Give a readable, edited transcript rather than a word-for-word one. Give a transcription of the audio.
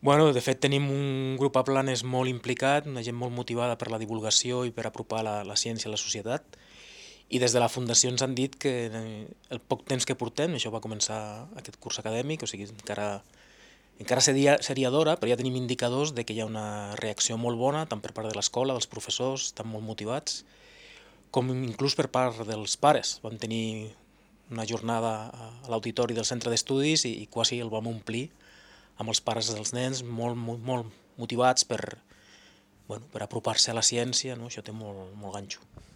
De fet tenim un grup a Planes molt implicat, una gent molt motivada per la divulgació i per apropar la ciència a la societat, i des de la Fundació ens han dit que el poc temps que portem, això va començar aquest curs acadèmic, o sigui, encara seria d'hora, però ja tenim indicadors de que hi ha una reacció molt bona, tant per part de l'escola, dels professors, estan molt motivats, com inclús per part dels pares. Vam tenir una jornada a l'auditori del centre d'estudis i quasi el vam omplir amb els pares dels nens molt motivats per apropar-se a la ciència, no? Això té molt ganxo.